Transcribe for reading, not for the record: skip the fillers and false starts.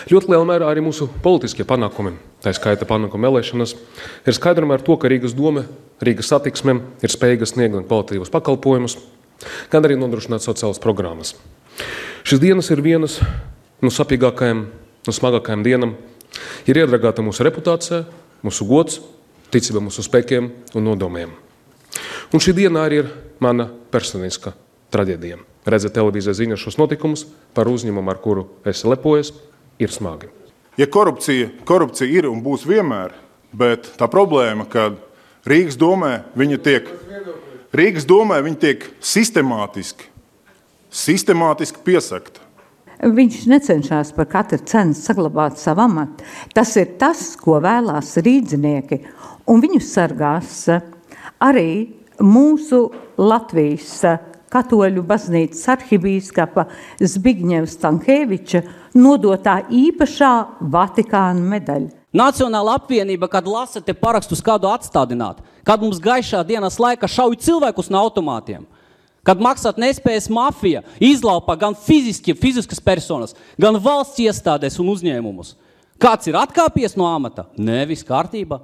Ļoti lielā mērā arī mūsu politiskie panākumi, tā skaita panākuma vēlēšanas, ir skaidrojumi ar to, ka Rīgas doma, Rīgas satiksme ir spējīga sniegt gan kvalitatīvus pakalpojumus, gan arī nodrošināt sociālas programmas. Šīs dienas ir vienas no sapīgākajām, no smagākajām dienām. Ir iedragāta mūsu reputācija, mūsu gods, ticība mūsu spēkiem un nodomiem. Un šī diena arī ir mana personiska traģēdija. Redzēt televīzijas ziņas šos notikumus par uzņēmumu, ar kuru es lepojos, ir smagi. Ja korupcija ir un būs vienmēr, bet tā problēma, ka Rīgas domē viņa tiek sistemātiski piesakta. Viņš necenšas par katru cenu saglabāt savu amatu. Tas ir tas, ko vēlās rīdzinieki. Un viņu sargās arī mūsu Latvijas katoļu baznīcas arhibīskapa Zbigņeva Stankēviča nodotā īpašā Vatikāna medaļa. Nacionāla apvienība, kad lasa te parakstus kādu atstādināt, kad mums gaišā dienas laika šauj cilvēkus no automātiem, kad maksāt nespējas mafija izlaupa gan fiziskas personas, gan valsts iestādes un uzņēmumus. Kāds ir atkāpies no amata? Nē, viss kārtība.